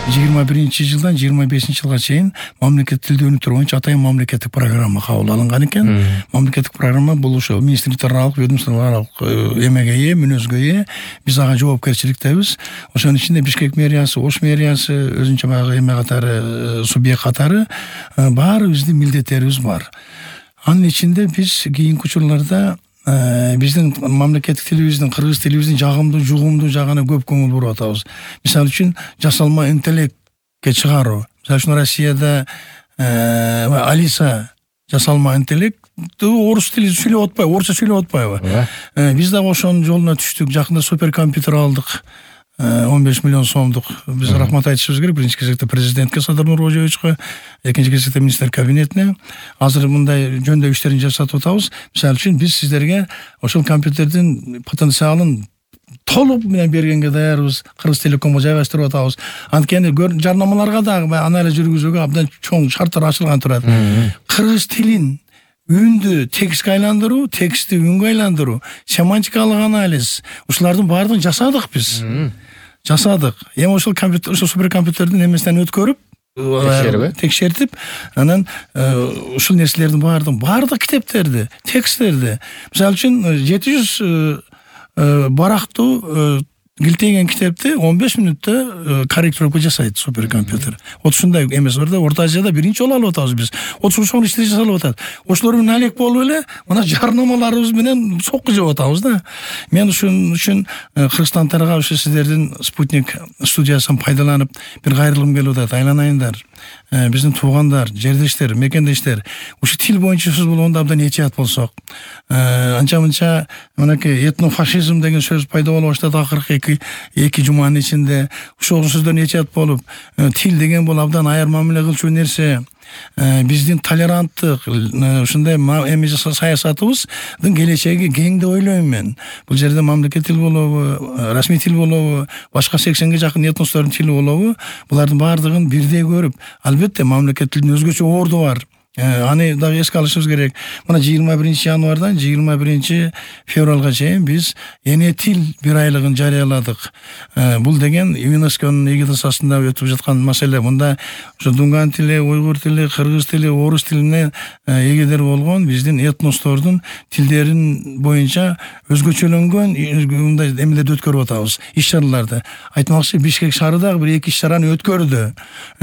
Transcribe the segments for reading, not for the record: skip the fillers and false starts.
2021-жылдан 25-жылга чейин мамлекеттик тилди өнүктүрүү боюнча атайын мамлекеттик программа кабыл алынган экен. Мамлекеттик программа бул ошо министрликтер аралык, ведомстволор аралык эмеге ээ, мүнөзгө ээ. Биз ага жоопкерчиликтебиз. Ошонун ичинде Бишкек мэриясы, Ош мэриясы өзүнчө баягы эме катары, субъект катары баарыбыздын милдеттерибиз бар. Анын ичинде биз кийинки учурларда биздин мамлекеттик тилибиздин, кыргыз тилибиздин жагымдуу, жугумдуу жагына көп көңүл буруп атабыз. Мисалы үчүн жасалма интеллектке чыгаруу. Мисалы үчүн Россияда Алиса жасалма интеллект орус тили сүйлөп атпайбы, орусча сүйлөп атпайбы? Биз дагы ошонун жолуна түштүк. Жакында суперкомпьютер алдык. 15 миллион сомдук. Биз рахмат айтышыбыз керек. Биринчи кезекте президентке Садыр Нуркожоевичке, экинчи кезекте министр кабинетине. Азыр мындай жөндөө иштерин жасатып атабыз. Мисалы үчүн биз сиздерге ошол компьютердин потенциалын толук менен бергенге даярбыз. Кыргыз Телекомго жайгаштырып атабыз. Анткени жарнамаларга дагы анализ жүргүзүүгө абдан чоң шарттар ачылган турат. Кыргыз тилин үндү текстке айландыруу, текстти үнгө айландыруу, семантикалык анализ, ушулардын баардыгын жасадык биз. Жасадык. Эми ошол компьютер, ошол суперкомпьютердин эмесинен өткөрүп, текшертип, анан ушул нерселердин баардык китептерди, тексттерди, мисалы үчүн 700 барактуу килтейген китепти 15 мүнөттө корректировка жасайт суперкомпьютер. Вот ушундай эмес бар да, Орто Азияда биринчи жолу алып атабыз биз. Ошол иштер жасалып атат. Ошолор менен алек болуп эле мына жарнамаларыбыз менен сокку жеп атабыз да. Мен ушун үчүн кыргызстандыктарга ошо сиздердин спутник студиясын пайдаланып бир кайрылгым келип атат. Айланайындар. Биздин туугандар, жердештер, мекендештер, ушу тил боюнча сөз болгондо абдан этият болсок. Анча-мынча мынакей этнофашизм деген сөз пайда боло баштады акыркы 2 жуманын ичинде. Ошол сөздөрдөн этият болуп, тил деген бул абдан аяр мамиле кылчу нерсе. Биздин толеранттык ушундай эме саясатыбыздын келечеги кең деп ойлойм мен. Бул жерде мамлекет тил болобу, расмий тил болобу, башка 80ге жакын этностордун тили болобу, булардын баардыгын бирдей көрүп, албетте мамлекет тилдин өзгөчө орду бар. Аны дагы эске алышыбыз керек. Мына 21 январдан 21 февралга чейин биз эне тил бир айлыгын жарыяладык. Бул деген ЮНЕСКОнун эгидасы астында өтүп жаткан маселе. Мында ошо дунган тили, уйгур тили, кыргыз тили, орус тилине эгедер болгон биздин этностордун тилдерин боюнча өзгөчөлөнгөн мындай эмелерди өткөрүп атабыз, иш-чараларды. Айтмакчы, Бишкек шаары дагы бир 2 иш-чараны өткөрдү.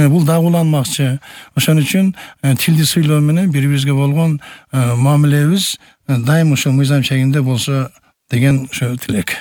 Бул дагы уланмакчы. Ошон үчүн тилди сүйлөө менен бири-бирибизге болгон мамилебиз дайым ошо мыйзам чегинде болсо деген ошо тилек.